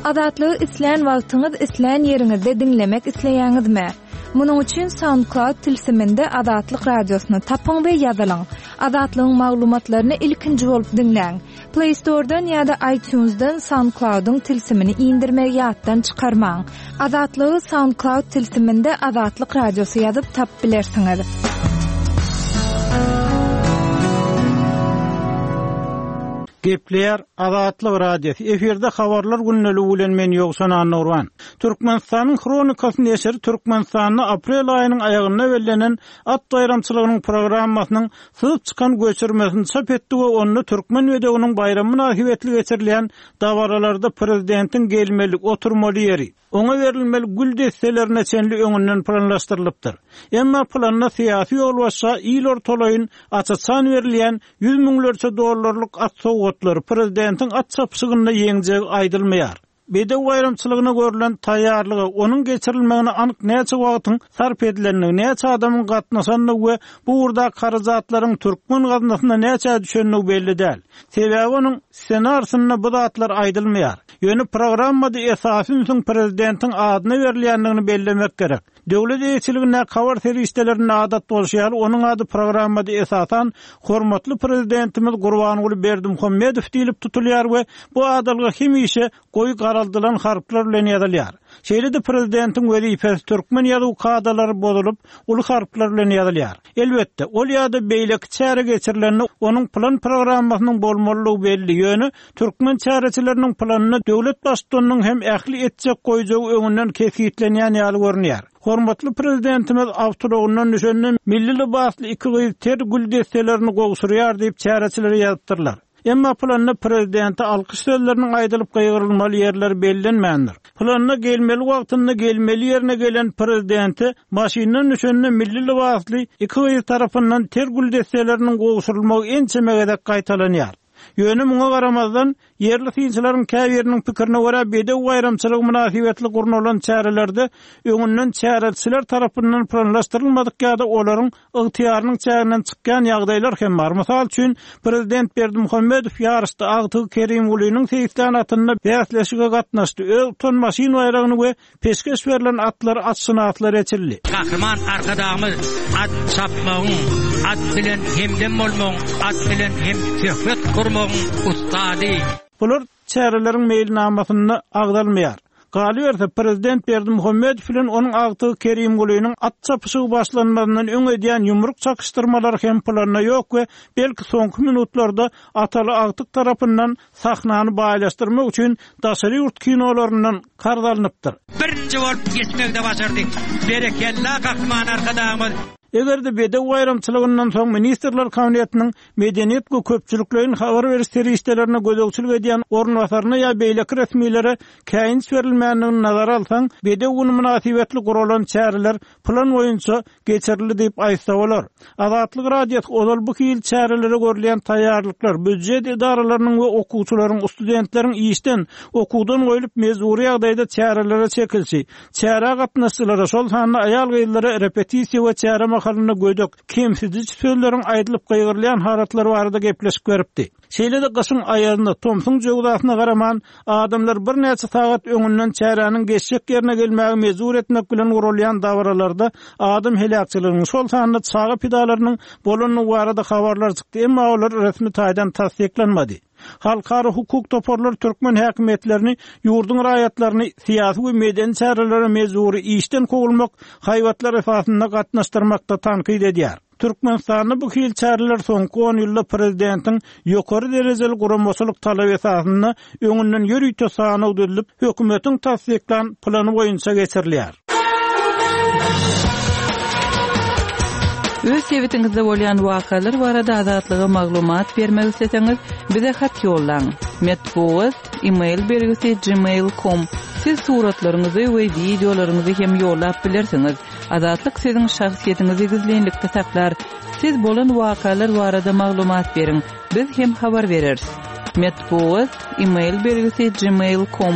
Azatlygy islän wagtyňyz, islän ýeriňizde diňlemek isleýäňizmi? Munuň üçin SoundCloud tilsiminde Azatlyk Radiosyny tapyň we ýazylyň. Azatlygyň maglumatlaryny ilkinji bolup diňläň. Play Store-dan ýa-da iTunes-dan SoundCloud-yň tilsimini indirmegi ýatdan çykarmaň. Azatlygy SoundCloud tilsiminde Azatlyk Radiosy ýazyp tapyp bilersiňiz. Gepleýär Azatlyk Radiosy, efirde Habarlar gündeligi bilen men Ýowşan Annagurban. Türkmenistanyň Hronikasy neşiri Türkmenistanda aprel aýynyň aýagynda bellenen At baýramçylygynyň programmasynyň syzyp çykan göçürmesini çap etdi we onda Türkmen bedewiniň baýramy mynasybetli geçirilýän dabaralarda prezidentiň gelmeli, oturmaly ýeri, oňa berilmeli gül desselerine çenli öňünden planlaşdyrylypdyr. Emma planda syýasy ýolbaşça il ortalaýyn aç-açan berilýän ýüz müňlerçe dollarlyk at sowgatlary, prezidentiň at çapyşygynda ýeňjegi aýdylmaýar. Bedew baýramçylygyna görlen taýýarlyga, onuň geçirilmegine anyk näçe wagtyň sarp edilendigi, näçe adamyň gatnaşandygy we bu ugurdaky harajatlaryň türkmen gaznasyna näçä düşendigi belli däl. Sebäbi onuň ssenarisinde bu zatlar aýdylmaýar. Ýöne programmada esasy ünsüň prezidentiň adyna berilýändigini bellemek gerek. Döwlet eýeçiligindäki habar serişdelerinde adat bolşy ýaly, onuň ady programmada esasan hormatly Prezidentimiz Gurbanguly Berdimuhamedow diýlip tutulýar we bu adalga hemişe goýy garaldylan harplar bilen ýazylýar. Şeýle-de prezidentiň wezipesi türkmen ýazuw kadalary bozulyp, uly harplar bilen ýazylýar. Elbetde, ol ýa-da beýleki çäre geçirilende onuň plan-programmasynyň bolmalydygy belli, ýöne Türkmen çäreçileriniň planynda döwlet Baştutanynyň hem ähli etjek-goýjagy öňünden kesgitlenýän ýaly görünýär. Hormatly Prezidentimiz awtoulagyndan düşende milli lybasly iki gyz ter gül desselerini gowşurýar diýip çäreçiler ýazypdyrlar. Emma planda prezidente alkyş sözleriniň aýdylyp gygyrylmaly ýerleri bellenmändir. Planda gelmeli wagtynda gelmeli ýerine gelen prezidente maşyndan düşende milli lybasly iki gyz tarapyndan ter gül desseleriniň gowşurylmagy ençeme gezek gaýtalanýar. Ýöne muňa garamazdan, ýerli synçylaryň käbiriniň pikirine görä, bedew baýramçylygy mynasybetli gurnalan çärelerde öňünden çäreçiler tarapyndan planlaşdyrylmadyk ýa-da olaryň ygtyýarynyň çäginden çykýan ýagdaýlar hem bar. Mysal üçin, prezident Berdimuhamedow ýaryşda agtygy Kerimgulynyň seýislän atynda bäsleşige gatnaşdy, öz utan maşyn baýragyny we Peşgeş berlen atlar atşynaslara eçildi. Gahryman Arkadagymyz at çapmagyň, at bilen hemdem bolmagyň, at bilen hemsöhbet gurmagyň ussady. Bular çäreleriň meýilnamasynda agzalmaýar. Galyberse, prezident Berdimuhamedow bilen onuň agtygy Kerimgulynyň at çapyşygy başlanmazyndan öň edýän ýumruk çakyşdyrmalary hem planda ýok we belki soňky minutlarda ataly agtyk tarapyndan sahnany baýlaşdyrmak üçin daşary ýurt kinolaryndan karz alnypdyr. Birinji bolup geçmegi-de başardy. Berekella Gahryman Arkadagymyz! Eger-de Bedew baýramçylygyndan soň Ministrler Kabinetiniň medeniýet we köpçülikleýin habar beriş serişdelerine gözegçilik edýän orunbasaryna ýa beýleki resmilere käýinç berilmändigini nazara alsaň, Bedew güni mynasybetli guralan çäreler plan boýunça geçirildi diýip aýtsa bolar. Azatlyk Radiosy ozal bu hili çärelere görülýän taýýarlyklar, býujet edaralarynyň we okuwçylaryň, studentleriň işden, okuwdan goýlup mejbury ýagdaýda çärelere çekilişi, çärä gatnaşyjylara, şol sanda aýal-gyzlara repetisiýa we çäre mahalynda gödek, kemsidiji sözleriň aýdylyp gygyrylýan halatlary barada gepleşik beripdi. Şeýle-de gyşyň aýazyna, tomsuň jöwzasyna garaman, adamlar birnäçe sagat öňünden çäräniň geçjek ýerine gelmäge mejbur etmek bilen guralýan dabaralarda adam heläkçiliginiň, şol sanda çaga pidalarynyň bolandygy barada habarlar çykdy, emma olar resmi taýdan tassyklanmady. Halkara hukuk toparlary türkmen häkimiýetlerini ýurduň raýatlaryny syýasy we medeni çärelere mejbury işden kowulmak haýbatlar esasynda gatnaşdyrmakda tankyt edýär. Türkmenistanda bu hili çäreler soňky on ýylda prezidentiň ýokary derejeli guramaçylyk talaby esasynda öňünden ýörite sanaw düzlüp, hökümetiň tassyklan plany boýunça geçirilýär. Öz sebitiňizde bolýan wakalar barada Azatlyga maglumat bermek isleseňiz, bize hat ýollaň. Metbugat, e-mail belgisi gmail com. Siz suratlaryňyzy we wideolaryňyzy hem ýollap bilersiňiz. Azatlyk siziň şahsyýetiňizi gizlinlikde saklar. Siz bolan wakalar barada maglumat beriň, biz hem habar bereris. Metbugat, e-mail belgisi gmail com.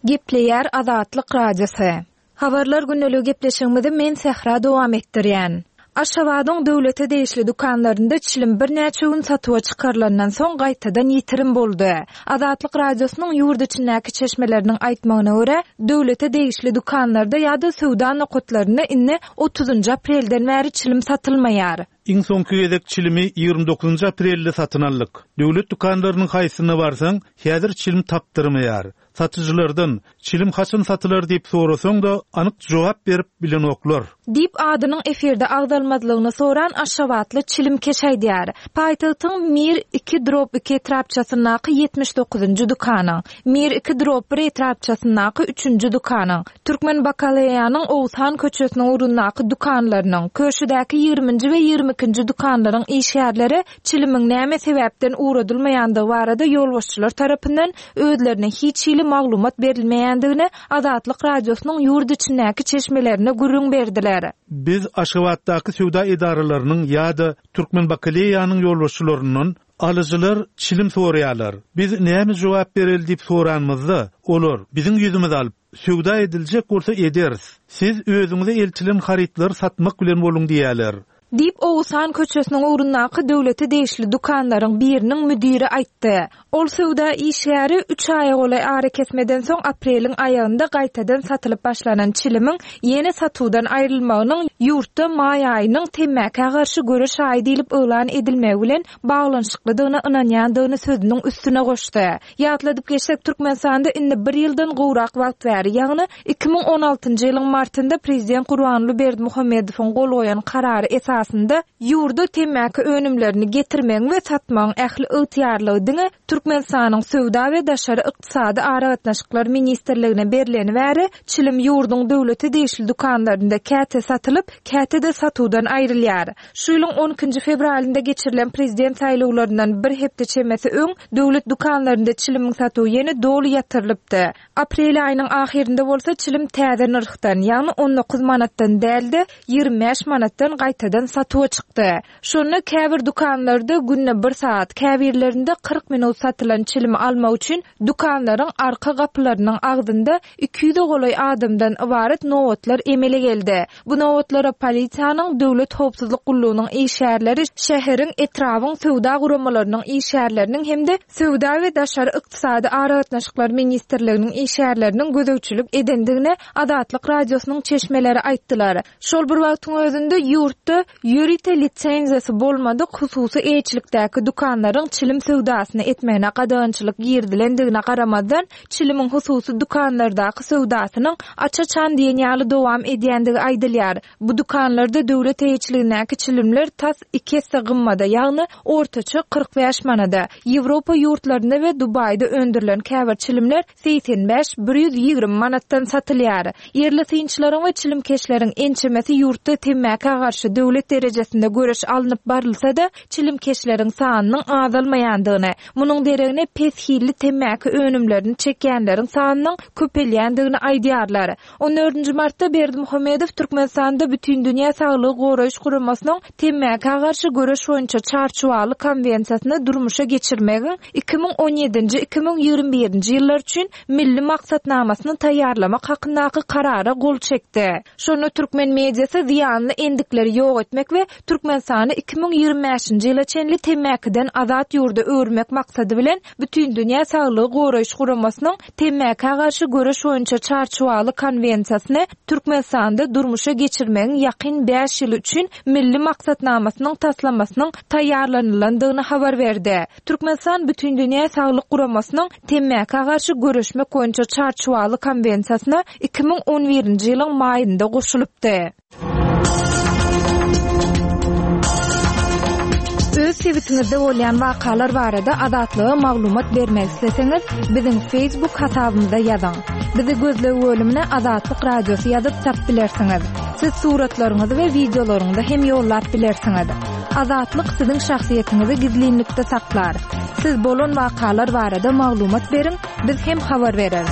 Gepleýär Azatlyk Radiosy. Habarlar gündeligi gepleşigimizi men Sähra dowam etdirýän. Aşgabadyň döwlete degişli dükanlarynda çilim birnäçe gün satuwa çykarylandan soň gaýtadan ýitirim boldy. Azatlyk Radiosynyň ýurt içindäki çeşmeleriniň aýtmagyna görä, döwlete degişli dükanlarda ýa-da söwda nokatlarynda indi otuzynjy aprelden bäri çilim satylmaýar. Iň soňky gezek çilimi 29 aprelde satyn aldyk. Döwlet dükanlarynyň haýsysyna barsaň, häzir çilim tapdyrmaýar. Satyjylardan, Çilim haçan satylar diýip sorasaň-da, anyk jogap berip bilenoklar. Diýip, adynyň efirde agzalmazlygyny soran aşgabatly çilimkeş aýdýar. Paýtagtyň Mir iki drob iki etrapçasyndaky 79-njy dükanyň, Mir iki drob bir etrapçasyndaky üçünji dükanyň, Türkmen bakaleýanyň Oguzhan köçesiniň ugrundaky dükanlarynyň, Köşüdäki ýigriminji we 22-nji dükanlaryň işgärleri çilimiň näme sebäpden ugradylmaýandygy barada ýolbaşçylar tarapyndan özlerine hiç hili maglumat berilmeýändigini Azatlyk Radiosynyň ýurt içindäki çeşmelerine gürrüň berdiler. Biz Aşgabatdaky söwda edaralarynyň ýa-da Türkmenbakaleýanyň ýolbaşçylaryndan Alyjylar çilim soraýarlar, biz näme jogap bereli diýip soranymyzda, olar, Biziň ýüzümizi alyp, söwda ediljek bolsa ederis. Siz özüňize eltilen harytlary satmak bilen boluň diýýärler. Diýip, Oguzhan köçesiniň ugrundaky döwlete degişli dükanlaryň biriniň müdiri aýtdy. Ol söwda işgäri üç aýa golaý arakesmeden soň apreliň aýagynda gaýtadan satylyp başlanan çilimiň ýene satuwdan aýrylmagynyň ýurtda maý aýynyň temmäkä garşy göreş aýy diýlip yglan edilmegi bilen baglanyşyklydygyna ynanýandygyny sözüniň üstüne goşdy. Ýatladyp geçsek, Türkmenistanda indi bir ýyldan gowrak wagt bäri, ýagny 2016-njy ýylyň martynda prezident Gurbanguly Berdimuhamedowyň gol goýan karary esasynda ýurda temmäki önümlerini getirmegiň we satmagyň ähli ygtyýarlygy diňe Türkmenistanyň Söwda we daşary ykdysady aragatnaşyklar ministrligine berleni bäri çilim ýurduň döwlete degişli dükanlarynda käte satylyp, käte-de satuwdan aýrylýar. Şu ýylyň on ikinji fewralynda geçirilen prezident saýlawlaryndan bir hepde çemesi öň döwlet dükanlarynda çilimiň satuwy ýene doly ýatyrylypdy. Aprel aýynyň ahyrynda bolsa çilim täze nyrhdan, ýagny 19 manatdan däl-de, 25 manatdan gaýtadan satuwa çykdy. Şonda käbir dükanlarda günde bir sagat, käbirlerinde 40 minut satylan çilimi almak üçin dükanlaryň arka gapylarynyň agzynda 200-e golaý adamdan ybarat nobatlar emele geldi. Bu nobatlara polisiýanyň, Döwlet howpsuzlyk gullugynyň işgärleri, şäheriň, etrabyň söwda guramalarynyň işgärleriniň hem-de Söwda we daşary ykdysady aragatnaşyklar ministrliginiň işgärleriniň gözegçilik edendigini Azatlyk Radiosynyň çeşmeleri aýtdylar. Şol bir wagtyň özünde, ýurtda ýörite lisenziýasy bolmadyk hususy eýeçilikdäki dükanlaryň çilim söwdasyny etmegine gadagançylyk girizilendigine garamazdan, çilimiň hususy dükanlardaky söwdasynyň aç-açan diýen ýaly dowam edýändigi aýdylýar. Bu dükanlarda döwlet eýeçiligindäki çilimler tas iki esse gymmada, ýagny ortaça 45 manada. Ýewropa ýurtlarynda we Dubaýda öndürilen käbir çilimler 85, 120 manatdan satylýar. Ýerli synçylaryň we çilimkeşleriň ençemesi ýurtda temmäkä garşy döwlet derejesinde göreş alnyp barylsa-da, çilimkeşleriň sanynyň azalmaýandygyny, munuň deregine pes hilli temmäki önümlerini çekýänleriň sanynyň köpelýändigini aýdýarlar. On dördünji martda Berdimuhamedow Türkmenistanda Bütindünýä Saglygy Goraýyş Guramasynyň temmäkä garşy göreş boýunça Çarçuwaly konwensiýasyny durmuşa geçirmegiň 2017-nji, 2021-nji ýyllar üçin Milli maksatnamasyny taýýarlamak hakyndaky Karara gol çekdi. Şonda türkmen mediasy zyýanly endikleri ýok etmek we Türkmenistany 2025-nji ýyla çenli temmäkiden azat ýurda öwürmek maksady bilen Bütindünýä Saglygy Goraýyş Guramasynyň Temmäkä garşy göreş boýunça Çarçuwaly konwensiýasyny Türkmenistanda durmuşa geçirmegiň ýakyn bäş ýyly üçin Milli maksatnamasynyň taslamasynyň taýýarlanylandygyny habar berdi. Türkmenistan Bütindünýä Saglyk Guramasynyň Temmäkä garşy göreşmek boýunça Çarçuwaly konwensiýasyna 2011-nji ýylyň maýynda goşulypdy. Öz sebitiňizde bolýan wakalar barada Azatlyga maglumat bermek isleseňiz, biziň Facebook hasabymyza ýazyň. Bizi gözleg bölümine Azatlyk Radiosy ýazyp tapyp bilersiňiz. Siz suratlaryňyzy we wideolaryňyzy hem ýollap bilersiňiz. Azatlyk siziň şahsyýetiňizi gizlinlikde saklar. Siz bolan wakalar barada maglumat beriň, Biz hem habar bereris.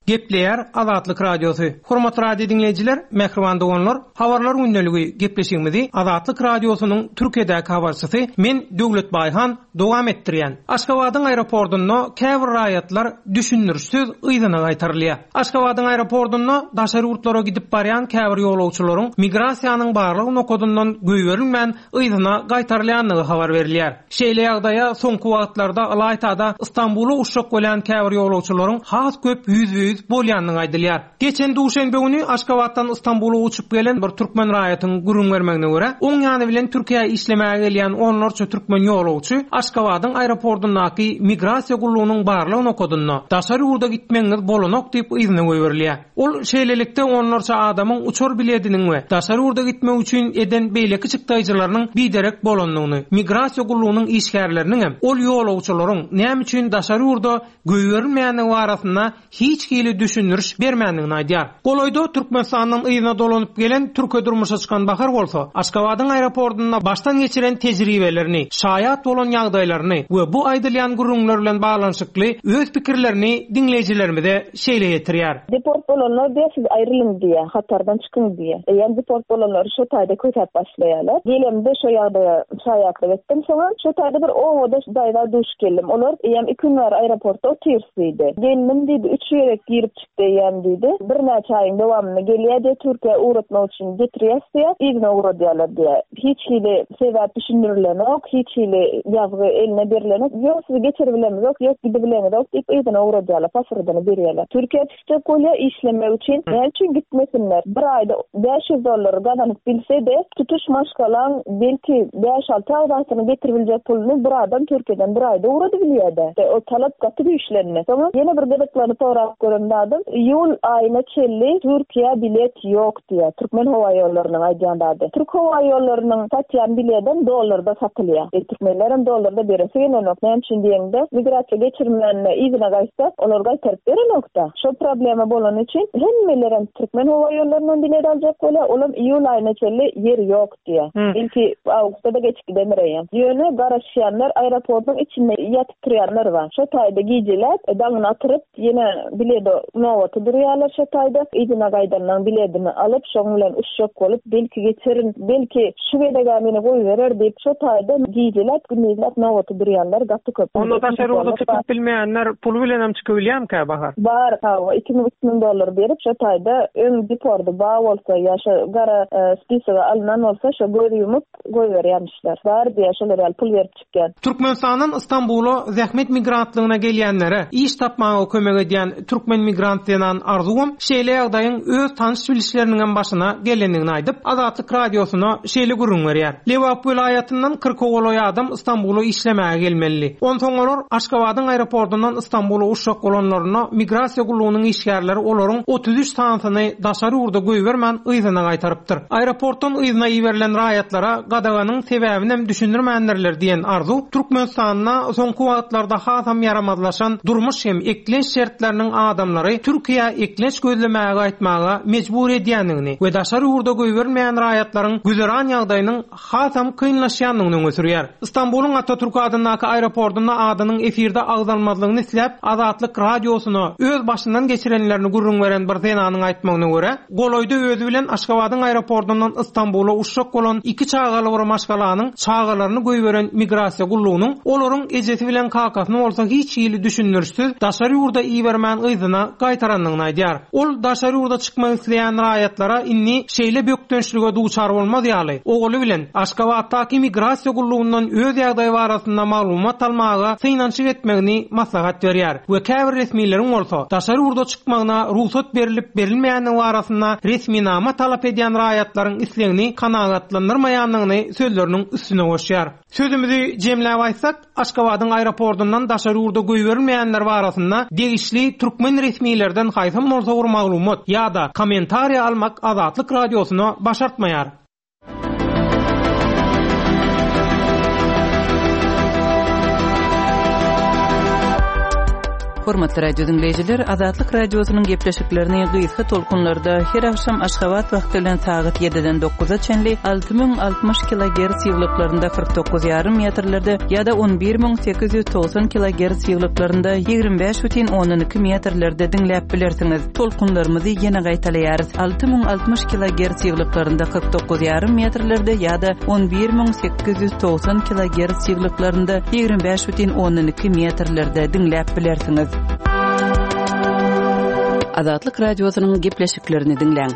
Gepleýär Azatlyk Radiosy. Hormatly radio diňleýjiler, mähriban doganlar, Habarlar gündeligi gepleşigimizi Azatlyk Radiosynyň Türkiýedäki habarçysy men Döwlet Baýhan dowam etdirýän. Aşgabadyň aeroportunda käbir raýatlar düşündirişsiz yzyna gaýtarylýar. Aşgabadyň aeroportunda daşary ýurtlara gidip barýan käbir ýolagçylaryň migrasiýanyň barlag nokadyndan goýberilmän yzyna gaýtarylýandygy habar berilýär. Şeýle ýagdaýa soňky wagtlarda ylaýta-da Stambula uçjak bolýan käbir ýolagçylaryň has köp ýüzbe-ýüz bolýandygy aýdylýar. Geçen duşenbe güni Aşgabatdan Stambula uçup gelen bir türkmen raýatyň gürrüň bermegine görä, oň ýany bilen Türkiýä işlemäge gelýän onlarça türkmen ýolagçy Aşgabadyň aeroportyndaky migrasiýa gullugynyň barlag nokadynda daşary ýurda gitmegiňiz bolanok diýip yzyna goýberilýär. Ol şeýlelikde onlarça adamyň uçar bilediniň we daşary ýurda gitmek üçin eden beýleki çykdaýjylarynyň biderek bolandygyny, migrasiýa gullugynyň işgärleriniňem ol ýolagçylaryň näme üçin daşary ýurda goýberilmeýändigi barasynda hiç hili düşündiriş bermändigini aýdýar. Golaýda Türkmenistandan yzyna dolanyp gelen türke durmuşa çykan Bahar bolsa, Aşgabadyň aeroportunda başdan geçiren tejribelerini, şaýat bolan ýagdaýlaryny we bu aýdylýan gürrüňler bilen baglanyşykly öz pikirlerini diňleýjilerimize şeýle ýetirýär. Deport bolanlar diýýär, siz aýrylyň diýýär, hatardan çykyň diýýär. Eýýäm deport bolanlary şo taýda kösäp başlaýarlar. Gelemde şo ýagdaýa şaýatlyk etdim. Soňam şo taýda bir obadaş daýza duş geldim. Olar eýýäm iki gün bäri aeroportda otyrys diýdi. Gelnim diýdi, üç gezek girip çykdy eýýäm diýdi. Birnäçe aýyň dowamynda gelýär diýýär, Türkiýä ugratmak üçin getirýäs diýýär, yzyna ugradýarlar diýýär. Hiç hili sebäp düşündirilenok, hiç hili ýazgy eline berilenok. Ýok, sizi geçiribilemizok, ýok, gidibileňizok diýip yzyna ugradýarlar, pasportyny berýärler. Türkiýä çykjak bolýar işlemek üçin. Näme üçin gitmesinler? Bir aýda 500 dollar gazanyp bilse-de, tutuş maşgalaň belki bäş-alty agzasyny getiribiljek puluny bir adam Türkiýeden bir aýda ugradybilýär-dä. O talap gaty güýçlendi. Soňam ýene bir gyzyklanyp sorap gören zadym, iýul aýyna çenli Türkiýä bilet ýok. Diýýär. Türkmen howaýollarynyň aýdýan zady. Türk howaýollarynyň satýan biledem dollarda satylýar. E, türkmenlerem dollarda beresi gelenok. Näme üçin diýeňde, migrasiýa geçirmände yzyna gaýtsa, olar gaýtaryp berenok-da. Şo problema bolany üçin hemmelerem türkmen howaýollaryndan bilet aljak bolýar. Olam iýul aýyna çenli ýer ýok diýýär. Belki awgustda-da geçip gidendir eýýäm. Ýöne garaşýanlar aeroportyň içinde ýatyp turýanlar bar. Şo taýda gijeläp, daňyny atyryp, Ýene bilede nobata durýarlar şo taýda. Yzyna gaýdanlaň biledini alyp, şoň bilen uçjak bolup, belki geçerin, belki şu gezeg-ä meni goýberer diýip, şo taýda gijeläp, gündizläp nobata durýanlar gaty köp. Onda daşary ýurda çykyp bilmeýänler puly bilenem çykybilýärmikä, Bahar? Bar, hawa, 2000, 3000 dollar berip, şo taýda öň depordy bar bolsa ýa şo gara spisoga alnan bolsa, şo göz ýumup goýberýärmişler. Bar diýýär, şolar ýaly pul berip çykýan. Türkmenistandan Stambula zähmet migrantlygyna gelýänlere iş tapmaga kömek edýän türkmen migrant zenan Arzuwam şeýle ýagdaýyň öz tanyş-bilişleriniňem başyna gelendigini aýdyp, Azatlyk Radiosyna şeýle gürrüň berýär, Lebap welaýatyndan kyrka golaý adam Stambula işlemäge gelmelidi. Onsoň olar Aşgabadyň aeroportundan Stambula uçjak bolanlarynda migrasiýa gullugynyň işgärleri olaryň 33 sanysyny daşary ýurda goýbermän yzyna gaýtarypdyr. Aeroportdan yzyna iberilen raýatlara gadaganyň sebäbinem düşündirmändirler diýen Arzuw, Türkmenistanda soňky wagtlarda hasam ýaramazlaşan durmuş hem eklenç şertleriniň adamlary Türkiýä eklenç gözlemäge gaýtmaga mejbur edýändigini we daşary ýurda goýberilmeýän raýatlaryň güzeran ýagdaýynyň hasam kynlaşýandygyny öňe sürýär. Stambulyň Atatürk adyndaky aeroportunda adynyň efirde agzalmazlygyny isläp, Azatlyk Radiosyna öz başyndan geçirenlerini gürrüň beren bir zenanyň aýtmagyna görä, golaýda özi bilen Aşgabadyň aeroportundan Stambula uçjak bolan iki çagaly bir maşgalanyň çagalaryny goýberen migrasiýa gullugynyň olaryň ejesi bilen kakasyny bolsa hiç hili düşündirişsiz daşary ýurda ibermän yzyna gaýtarandygyny aýdýar. Ol daşary ýurda çykmak isleýän raýatlara indi şeýle bökdençlige duçar bolmaz ýaly, ogly bilen Aşgabatdaky migrasiýa gullugyndan öz ýagdaýy barasynda maglumat almaga synanyşyk etmegini maslahat berýär we käbir resmileriň bolsa daşary ýurda çykmagyna rugsat berlip-berilmeýändigi barasynda resminama talap edýän raýatlaryň islegini kanagatlandyrmaýandygyny sözleriniň üstüne goşýar. Sözümizi jemläp aýtsak, Aşgabadyň aeroportundan daşary ýurda goýberilmeýänler barasynda degişli türkmen resmilerden haýsam bolsa bir maglumat ýa-da kommentariýa almak Azatlyk Radiosyna başartmaýar. Hormatly radio diňleýjiler, Azatlyk Radiosynyň gepleşiklerini gysga tolkunlarda her agşam Aşgabat wagty bilen sagat ýediden dokuza çenli 6060 kilogerts ýygylyklarynda 49 ýarym metrlerde ýa-da 11890 kilogerts ýygylyklarynda 25 bütin ondan iki metrlerde diňläp bilersiňiz. Tolkunlarymyzy ýene gaýtalaýarys, 6060 kilogerts ýygylyklarynda 49 ýarym metrlerde ýa-da 11890 kilogerts ýygylyklarynda 25 bütin ondan 2 metrlerde diňläp bilersiňiz. Azatlyk Radiosynyň gepleşiklerini diňläň.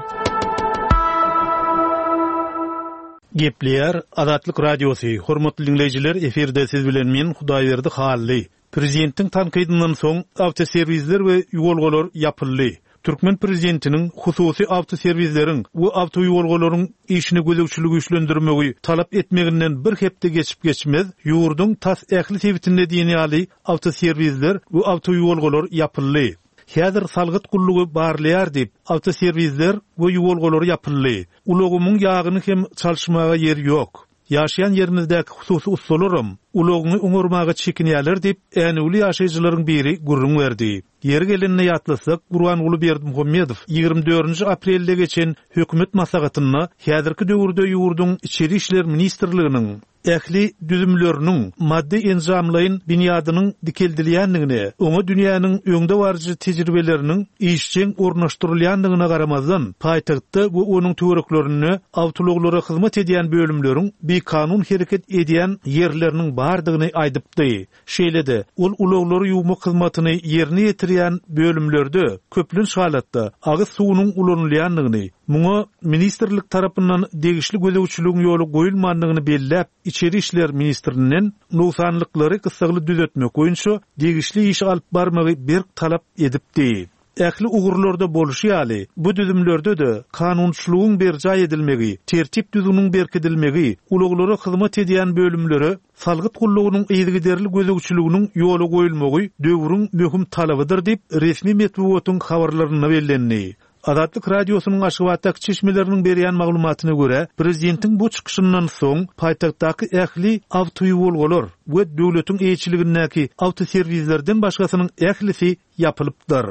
Gepleýär Azatlyk Radiosy, Hormatly diňleýjiler, efirde siz bilen men, Hudaýberdi Hally. Prezidentiň tankydyndan soň awtoserwisler we ýuwalgalar ýapyldy. Türkmen prezidentiniň hususy awtoserwisleriň we awtoýuwalgalaryň işine gözegçiligi güýçlendirmegi talap etmeginden bir hepde geçip-geçmez, ýurduň tas ähli sebitinde diýen ýaly awtoserwisler we awtoýuwalgalar ýapyldy. Häzir salgyt gullugy barlaýar diýip, awtoserwisler we ýuwalgalar ýapyldy. Ulagymyň ýagyny hem çalyşmaga ýer ýok. Ýaşaýan ýerimizdäki hususy ussalaram ulagyňy oňarmaga çekinýärler diýip, änewli ýaşaýjylaryň biri gürrüň berdi. Ýeri gelende ýatlasak, Gurbanguly Berdimuhamedow 24-nji aprelde geçen hökümet maslahatynda häzirki döwürde ýurduň Içeri işler ministrliginiň ähli düzümleriniň maddy-enjamlaýyn binýadynyň dikeldilýändigine, oňa dünýäniň öňdebaryjy tejribeleriniň işjeň ornaşdyrylýandygyna garamazdan, paýtagtda we onuň töwereklerinde awtoulaglara hyzmat edýän bölümleriň bikanun hereket edýän ýerleriniň bardygyny aýdypdy. Şeýle-de, ol ulaglary ýuwmak hyzmatyny ýerine ýetirýän bölümlerde, köplenç halatda, agyz suwunyň ulanylýandygyny, muňa ministrlik tarapyndan degişli gözegçiligiň ýola goýulmandygyny belläp, içeri işler ministrinden nogsanlyklary gyssagly düzetmek boýunça degişli işi alyp barmagy berk talap edipdi. Ähli ugurlarda bolşy ýaly, bu düzümlerde-de kanunçylygyň berjaý edilmegi, tertip-düzgüniň berkidilmegi, ulaglara hyzmat edýän bölümlere salgyt gullugynyň yzygiderli gözegçiliginiň ýola goýulmagy döwrüň möhüm talabydyr diýip, resmi metbugatyň habarlarynda bellendi. Azatlyk Radiosynyň Aşgabatdaky çeşmeleriniň berýän maglumatyna görä, prezidentiň bu çykyşyndan soň paýtagtdaky ähli awtoýuwalgalar we döwletiň eýeçiligindäki awtoserwislerden başgasynyň ählisi ýapylypdyr.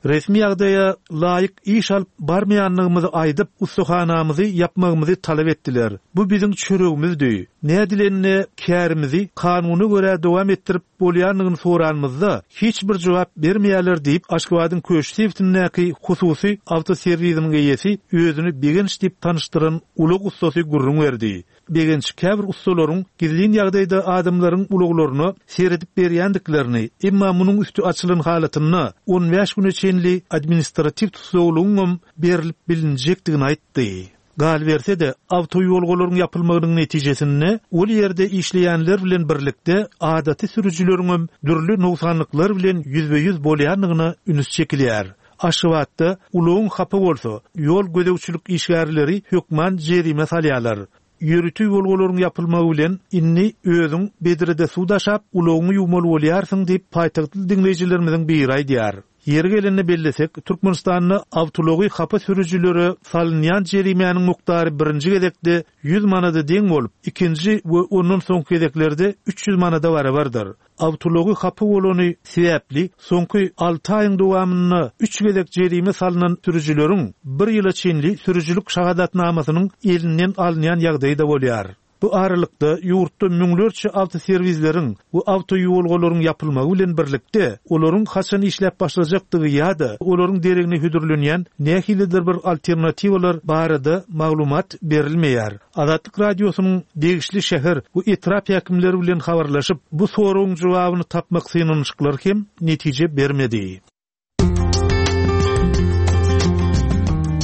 Resmi ýagdaýa laýyk iş alyp barmaýandygymyzy aýdyp, ussahanamyzy ýapmagymyzy talap etdiler. Bu biziň çöregimizdi. Nädilende kärimizi kanuna görä dowam etdirip bolýandygyny soranymyzda, hiç bir jogap bermeýärler diýip, Aşgabadyň Köşi sebitindäki hususy awtoserwisiniň eýesi özüni Begenç diýip tanyşdyran ulag ussasy gürrüň berdi. Begenç käbir ussalaryň gizlin ýagdaýda adamlaryň ulaglaryna seredip berýändiklerini, emma munuň üsti açylan halatynda on bäş güne çenli administratiw tussaglygyňam berlip bilinjekdigini aýtdy. Galyberse-de, awtoýolgalaryň ýapylmagynyň netijesinde ol ýerde işleýänler bilen birlikde adaty sürüjileriňem dürli nogsanlyklar bilen ýüzbe-ýüz bolýandygyna üns çekilýär. Aşgabatda ulagyň hapa bolsa, ýol gözegçilik işgärleri hökman jerime salýarlar. Ýörite ýolgalaryň ýapylmagy bilen, indi özüň bedrede suw daşap, ulagyňy ýuwmaly bolýarsyň diýip, paýtagtly diňleýjilerimiziň biri aýdýar. Ýeri gelende bellesek, Türkmenistanda awtoulagy hapa sürüjilere salynýan jerimäniň mukdary birinji gezekde 100 manada deň bolup, ikinji we ondan soňky gezeklerde 300 manada barabardyr. Awtoulagy hapa bolany sebäpli soňky alty aýyň dowamynda üç gezek jerime salnan sürüjileriň bir ýyla çenli sürüjilik şahadatnamasynyň elinden alynýan ýagdaýy-da bolýar. Bu aralykda, ýurtda müňlerçe awtoserwisleriň we awtoýuwalgalaryň ýapylmagy bilen birlikde, olaryň haçan işläp başlajakdygy ýa-da olaryň deregine hödürlenýän nähilidir bir alternatiwalar barada maglumat berilmeýär. Azatlyk Radiosynyň degişli şäher we etrap häkimleri bilen habarlaşyp, bu soragyň jogabyny tapmak synanyşyklary hem netije bermedi.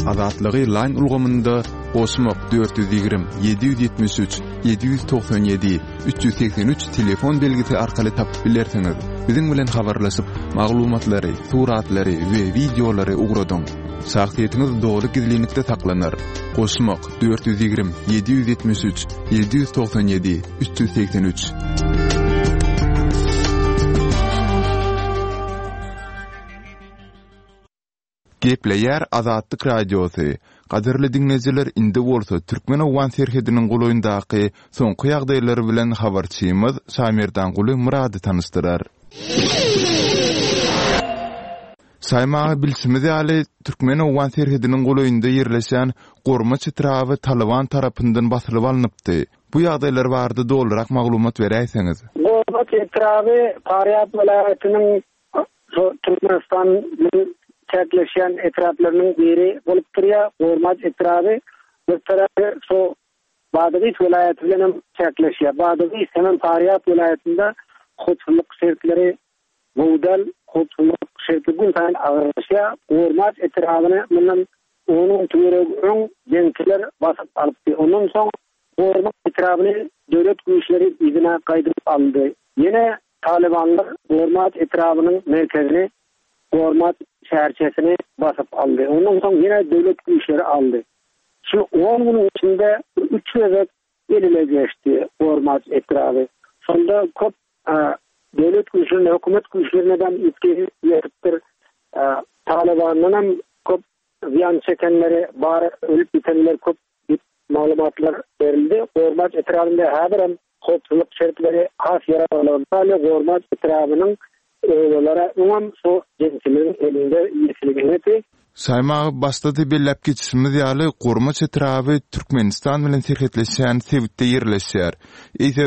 Azatlygy Line ulgamynda goşmak 420 773 797 383 telefon belgisi arkaly tapyp bilersiňiz. Biziň bilen habarlaşyp, maglumatlary, suratlary we wideolary ugradyň. Şahsyýetiňiz doly gizlinlikde saklanar. Goşmak 420 773 797 383. Gepleýär Azatlyk Radiosy. Gadyrly diňleýjiler indi bolsa türkmen-owgan serhediniň golaýyndaky soňky ýagdaýlar bilen habarçymyz Şamerdanguly Myrady tanyşdyrar. Saýym aga, bilşimiz ýaly, türkmen-owgan serhediniň golaýynda ýerleşýän Gormaç etraby Talyban tarapyndan basylyp alnypdy. Bu ýagdaýlar barada dolurak maglumat beräýseňiz? Gormaç etraby Farýab welaýatynyň şu Türkmenistan bilen çäkleşýän etraplarynyň biri bolup durýar. Gormaç etraby bir tarapy şu Badagys welaýaty bilen hem çäkleşýär. Badagys hemem Farýab welaýatynda howpsuzlyk şertleri gowy däl, howpsuzlyk şerti günsaýyn agyrlaşýar. Gormaç etrabyny mundan on gün töweregi öň jeňçiler basyp alypdy. Ondan soň Gormaç etrabyny döwlet güýçleri yzyna gaýdyp aldy. Ýene talybanlar Gormaç etrabynyň merkezini, Gormaç şäherçesini basyp aldy. Ondan soň ýene döwlet güýçleri aldy. Şu on günüň içinde üç gezek el-ele geçdi Gormaç etraby. Şonda köp döwlet güýçlerine, hökümet güýçlerine-dem ýitgi ýetipdir. Talybandanam köp zyýan çekenleri bar, ölüp ýitenler köp diýip maglumatlar berildi. Gormaç etrabynda häzirem howpsuzlyk şertleri has ýaramazlygyna galýar. Gormaç etrabynyň obalary öňem şu jeňçileriň elinde ýitiligindedi. Şaýym aga, başda-da belläp geçişimiz ýaly, Gormaç etraby Türkmenistan bilen serhetleşýän sebitde ýerleşýär. Eýse,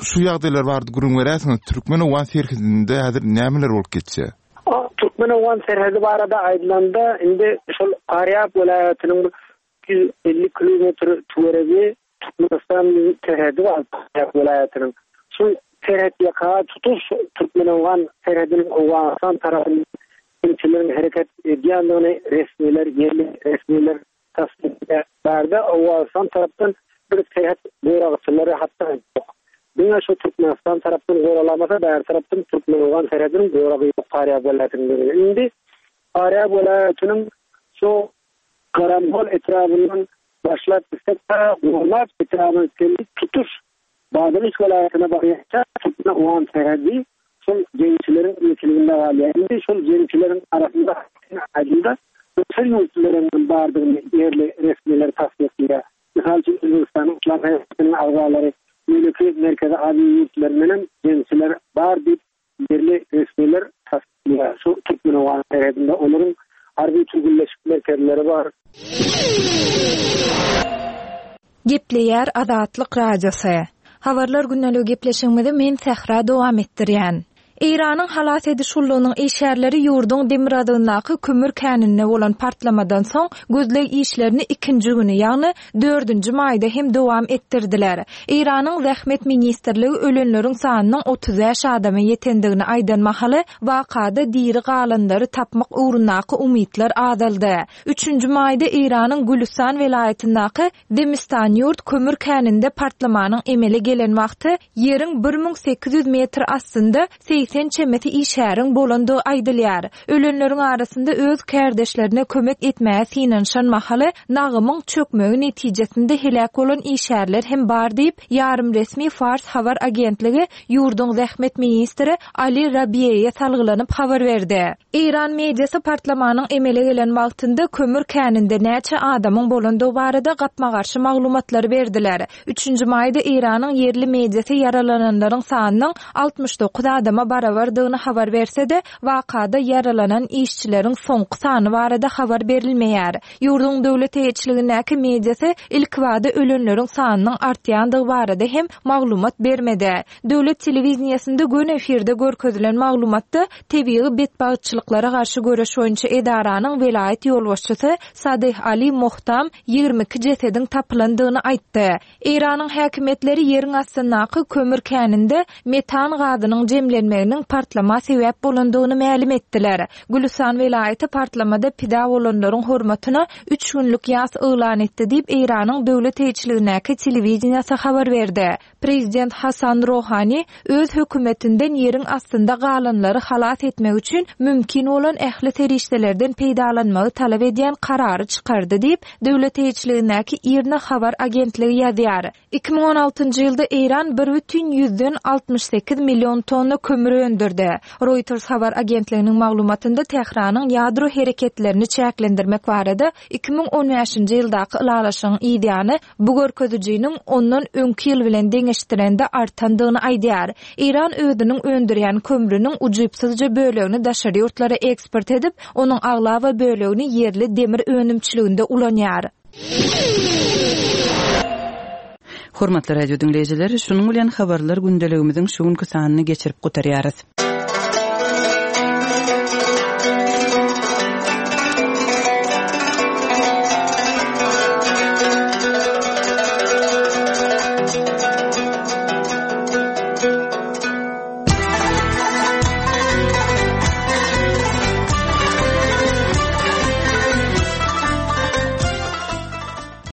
Şu ýagdaýlar barada gürrüň beräýseňiz, türkmen-owgan serhedinde häzir nämeler bolup geçýär? Türkmen-owgan serhedi barada aýdylanda, indi şol Farýab welaýatynyň 350 kilometr töweregi Türkmenistan bilen serhedi bar Farýab welaýatynyň. Şol serhet ýaka tutuş türkmen-owgan serhediniň Owganystan tarapynda jeňçileriň hereket edýändigini resmiler, ýerli resmiler Tassyklaýar. Bärde Owganystan tarapdan bir serhet goragçylary hatda ýok. Diňe şu Türkmenistan tarapdan goralamasa bäri tarapdan türkmen-owgan serhediniň goragy ýok Farýab welaýatynyň düzüminde. Indi Farýab welaýatynyň şu Garangol etrabyndan başlap gitsek ta Gormaç etrabyna çenli tutuş Badagys welaýatyna barýança türkmen-owgan serhedi şol jeňçileriň eýeçiliginde galýar. Indi şol jeňçileriň arasynda aýdylda daşary ýurtlularyň hem bardygyny ýerli resmiler tassyklaýar. Mysal üçin, Özbegistanyň Yslam hereketiniň agzalary, beýleki Merkezi Aziýa ýurtlaryndan hem jeňçiler bar diýip, ýerli resmiler tassyklaýar. Şu türkmen-owgan serhedinde olaryň harby türgenleşik merkezleri bar. Gepleýär Azatlyk Radiosy. Habarlar gündeligi gepleşigimizi men Sähra dowam etdirýän. Eýranyň halas ediş gullugynyň işgärleri ýurduň demirgazygyndaky kömür käninde bolan partlamadan soň gözleg işlerini ikinji güni, ýagny dördünji maýda hem dowam etdirdiler. Eýranyň Zähmet ministrligi ölenleriň sanynyň 35 adama ýetendigini aýdan mahaly, wakada diri galanlary tapmak ugrundaky umytlar azaldy. Üçünji maýda Eýranyň Gülüstan welaýatyndaky Zemistanýurt kömür käninde partlamanyň emele gelen wagty ýeriň 1800 metr astynda 80 çemesi işgäriň bolandygy aýdylýar. Ölenleriň arasynda öz kärdeşlerine kömek etmäge synanyşan mahaly nagymyň çökmegi netijesinde heläk bolan işgärler hem bar diýip, ýarym resmi Fars habar agentligi ýurduň zähmet ministri Ali Rabiýeýe salgylanyp habar berdi. Eýran mediasy partlamanyň emele gelen wagtynda kömür käninde näçe adamyň bolandygy barada gapma-garşy maglumatlary berdiler. Üçünji maýda Eýranyň ýerli mediasy ýaralananlaryň sanynyň 69 adama barabardygyny habar berse-de, wakada ýaralanan işçileriň soňky sany barada habar berilmeýär. Ýurduň döwlet eýeçiligindäki mediasy ilkibada ölenleriň sanynyň artýandygy barada hem maglumat bermedi. Döwlet telewideniýesinde göni efirde görkezilen maglumatda tebigy betbagtçylyklara garşy göreş boýunça edaranyň welaýat ýolbaşçysy Sadyh Ali Mohtam 22 jesediň tapylandygyny aýtdy. Eýranyň häkimiýetleri ýeriň astyndaky kömür käninde metan gazynyň jemlenmeginiň partlama sebäp bolandygyny mälim etdiler. Gülüstan welaýaty partlamada pida bolanlaryň hormatyna üç günlük ýas yglan etdi diýip, Eýranyň döwlet eýeçiligindäki telewideniýesi habar berdi. Prezident Hasan Rohani öz hökümetinden ýeriň astynda galanlary halas etmek üçin mümkin bolan ähli serişdelerden peýdalanmagy talap edýän karary çykardy diýip, döwlet eýeçiligindäki IRNA habar agentligi ýazýar. 2016-njy ýylda Eýran bir bütin ýüzden 68 million tonna kömür. kömür öndürdi. Reuters habar agentliginiň maglumatynda Tähranyň ýadro hereketlerini çäklendirmek barada 2015-nji ýyldaky ylalaşygyň yzýany bu görkezijiniň ondan öňki ýyl bilen deňeşdirende artandygyny aýdýar. Eýran özüniň öndürýän kömrüniň ujypsyzja bölegini daşary ýurtlara eksport edip, onuň aglaba bölegini ýerli demir önümçiliginde ulanýar. Hormatly radio diňleýjiler, şunuň bilen Habarlar gündeligimiziň şu günki sanyny geçirip gutarýarys.